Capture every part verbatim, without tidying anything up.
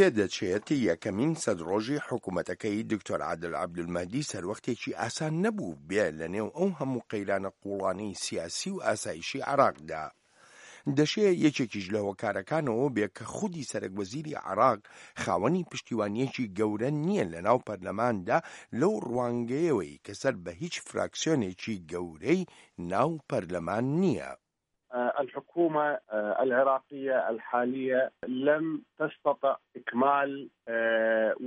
پێدەچێت یەکەمین سەد ڕۆژی حکوومەتەکەی دکتۆر عادل عەبدولمەهدی سەروەختێکی ئاسان نەبوو بێ لەنێو ئەو هەموو قەیرانە قووڵانەی سیاسی و ئاسایشی عێراقدا. دەشێ یەکێکیش لە هۆکارەکانەوە بێ کە خودی سەرەکوەزیری عێراق خاوەنی پشتیوانییەکی گەورە نییە لەناو پەرلەماندا لەو ڕوانگەیەوەی کە سەر بە هیچ فراکسیۆنێکی گەورەی ناو پەرلەمان نییە. الحكومة العراقية الحالية لم تستطع إكمال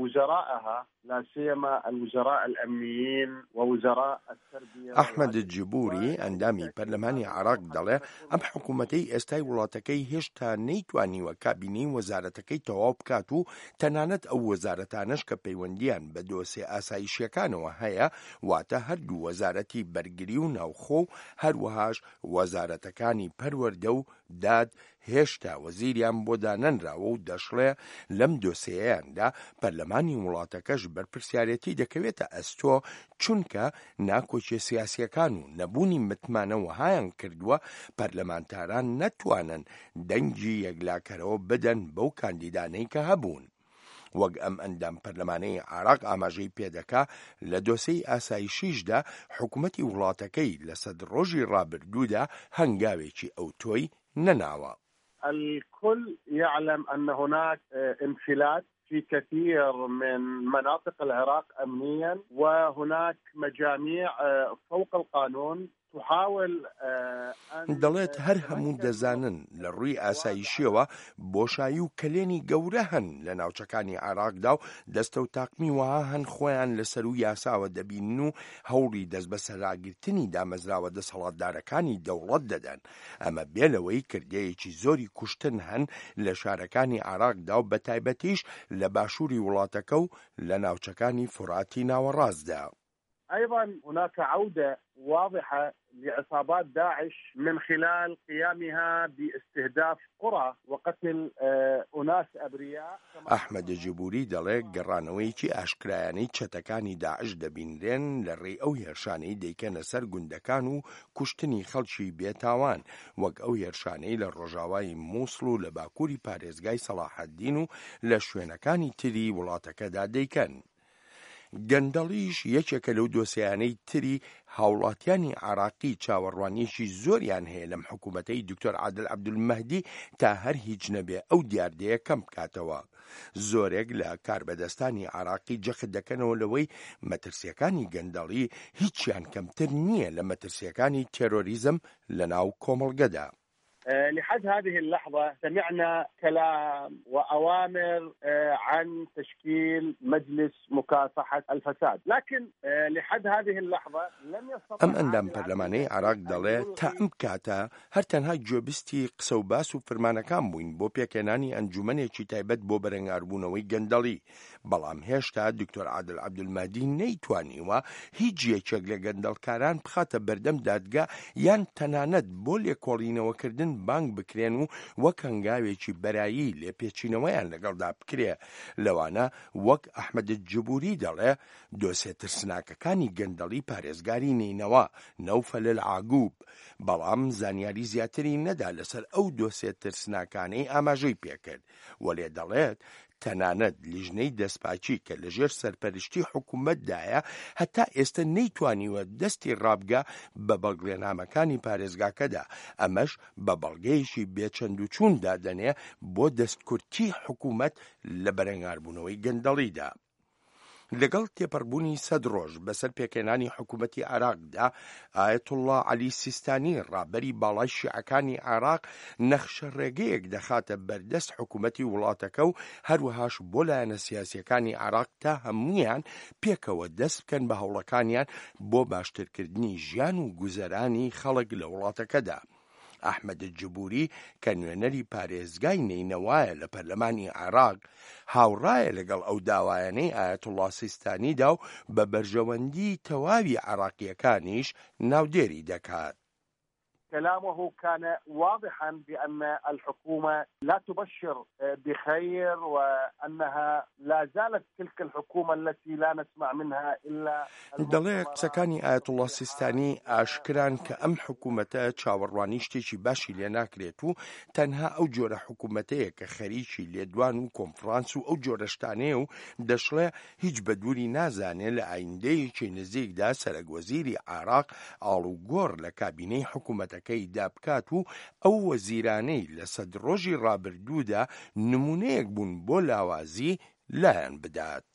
وزرائها لا سيما الوزراء الأمنيين ووزراء التربية. ئەحمەد جبوری ئەندامی پەرلەمانی عێراق دەڵێ ئەم حکوومەتەی ئێستای وڵاتەکەی هێشتا نەیتوانیوە کابینەی وەزارەتەکەی تەواو بکات و تەنانەت ئەو وەزارەتانەش کە پەیوەندییان بە دۆسێ ئاسایشیەکانەوە هەیە، واتە هەردوو وەزارەتی بەرگری و ناوخۆ و هەروەهاش وەزارەتەکانی پەروەردە و داد هێشتا وەزیریان بۆ دانەنراوە و دەشڵێ لەم دۆسێیەیاندا پەرلەمانی وڵاتەکەش بەرپرسیارێتی دەکەوێتە ئەستۆ چونکە ناکۆکیە سیاسیەکان و نەبوونی متمانە وەهایان کردووە پەرلەمانتاران نەتوانن دەنگی یەکلاکەرەوە بدەن بەو کاندیدانەی کە هەبوون. وەک ئەم ئەندام پەرلەمانەی عێراق ئاماژەی پێدەکا لە دۆسێی ئاسایشیشدا حکومەتی وڵاتەکەی لە سەد ڕۆژی ڕابردوودا هەنگاوێکی ئەوتۆی نەناوە. الكل يعلم أن هناك انفلات في كثير من مناطق العراق أمنيا وهناك مجاميع فوق القانون تحاول دەڵێت هەر هەموو دەزانن لە ڕووی ئاسایشیەوە بۆشایی و کەلێنی گەورە هەن لە ناوچەکانی عێراقدا و دەستە و تاقمی وەها هەن خۆیان لە سەروو یاساوە دەبینن و هەوڵی دەستبەسەراگرتنی دامەزراوە دەسەڵاتدارەکانی دەوڵەت دەدەن، ئەمە بێ لەوەی کردەیەکی زۆری کوشتن هەن لە شارەکانی عێراقدا و بەتایبەتیش لە باشووری وڵاتەکە و لە ناوچەکانی فوراتی ناوەڕاستدا. أيضا هناك عودة واضحة لعصابات داعش من خلال قيامها باستهداف قرى وقتل أناس أبرياء. ئەحمەد جبوری دەڵێ گەڕانەوەیەکی ئاشکرایانەی چەتەکانی داعش دەبینرێن لە ڕێی ئەو هێرشانەی دەیکەنە سەر گوندەکان و کوشتنی خەڵکی بێتاوان، وەک ئەو هێرشانەی لە ڕۆژاوای مووسڵ و لە باکووری پارێزگای سەڵاحەدین و لە شوێنەکانی تری وڵاتەکەدا دەیکەن. گەندەڵیش یەکێکە لەو دۆسیانەی تری هاوڵاتیانی عێراقی چاوەڕوانیەکی زۆریان هەیە لەم حکوومەتەی دکتۆر عادل عەبدولمەهدی تا هەر هیچ نەبێ ئەو دیاردەیە کەم بکاتەوە. زۆرێک لە کاربەدەستانی عێراقی جەخت دەکەنەوە لەوەی مەترسیەکانی گەندەڵی هیچیان کەمتر نییە لە مەترسیەکانی تێرۆریزم لەناو کۆمەڵگەدا. لحد هذه اللحظة سمعنا كلام وأوامر عن تشكيل مجلس مكافحة الفساد، لكن لحد هذه اللحظة لم يستطع ئەم ئەندام پەرلەمانەی عێراق دەڵێ تا ئەم کاتە هەر تەنها گوێبیستی قسە و باس و فرمانەکان بووین بۆ پێکهێنانی ئەنجومەنێکی تایبەت بۆ بەرەنگاربوونەوەی گەندەڵی، بەڵام هێشتا دکتۆر عادل عەبدولمەهدی نەیتوانیوە هیچ یەکێک لە گەندەڵکاران بخاتە بەردەم دادگا یان تەنانەت بۆ لێکۆڵینەوەکردن بانگ بکرێن و وەک هەنگاوێکی بەرایی لێپێچینەوەیان لەگەڵدا بکرێ، لەوانە وەک ئەحمەد جبوری دەڵێ دۆسێ ترسناکەکانی گەندەڵی پارێزگاری نەینەوا نەوفەل العاگوب، بەڵام زانیاری زیاتری نەدا لەسەر ئەو دۆسێ ترسناکانەی ئاماژەی پێکرد، وەلێ دەڵێت تەنانەت لیژنەی دەستپاکی کە لەژێر سەرپەرشتی حکوومەتدایە هەتا ئێستا نەیتوانیوە دەستی ڕابگا بە بەڵگەنامەکانی پارێزگاکەدا، ئەمەش بە بەڵگەیەکی بێچەند و چوون دادەنێ بۆ دەستکورتی حکوومەت لە بەرەنگاربوونەوەی گەندەڵیدا. لەگەڵ تێپەڕبوونی سەد ڕۆژ بەسەر پێکهێنانی حکوومەتی عێراقدا، ئایەتوڵڵا عەلی سیستانی ڕابەری باڵای شیعەکانی عێراق نەخشە ڕێگەیەک دەخاتە بەردەست حکوومەتی وڵاتەکە و هەروەهاش بۆ لایەنە سیاسیەکانی عێراق تا هەمویان پێکەوە دەست بکەن بە هەوڵەکانیان بۆ باشترکردنی ژیان و گوزەرانی خەڵک لە وڵاتەکەدا. ئەحمەد جبوری کە نوێنەری پارێزگای نەینەوایە لە پەرلەمانی عێراق هاوڕایە لەگەڵ ئەو داوایانەی ئایەتوڵڵا سیستانیدا و بە بەرژەوەندی تەواوی عێراقیەکانیش ناودێری دەکات. كلامه كان واضحا بأن الحكومة لا تبشر بخير، وأنها لا زالت تلك الحكومة التي لا نسمع منها إلا دەڵێ قسەکانی ئایەتوڵڵا سیستانی ئاشکران کە ئەم حکوومەتە چاوەڕوانی شتێکی باشی لێ ناکرێت و تەنها ئەو جۆرە حکوومەتەیە کە خەریکی لێدوان و کۆنفرانس و ئەو جۆرە شتانەیە و دەشڵێ هیچ بە دووری نازانێ لە ئایندەیەکی نزیکدا سەرەک وەزیری عێراق ئاڵوگۆڕ لە کابینەی حکوومەتەکەیدا بکات و ئەو وەزیرانەی لە سەد ڕۆژی ڕابردوودا نمونەیەک بوون بۆ لاوازی لایان بدات.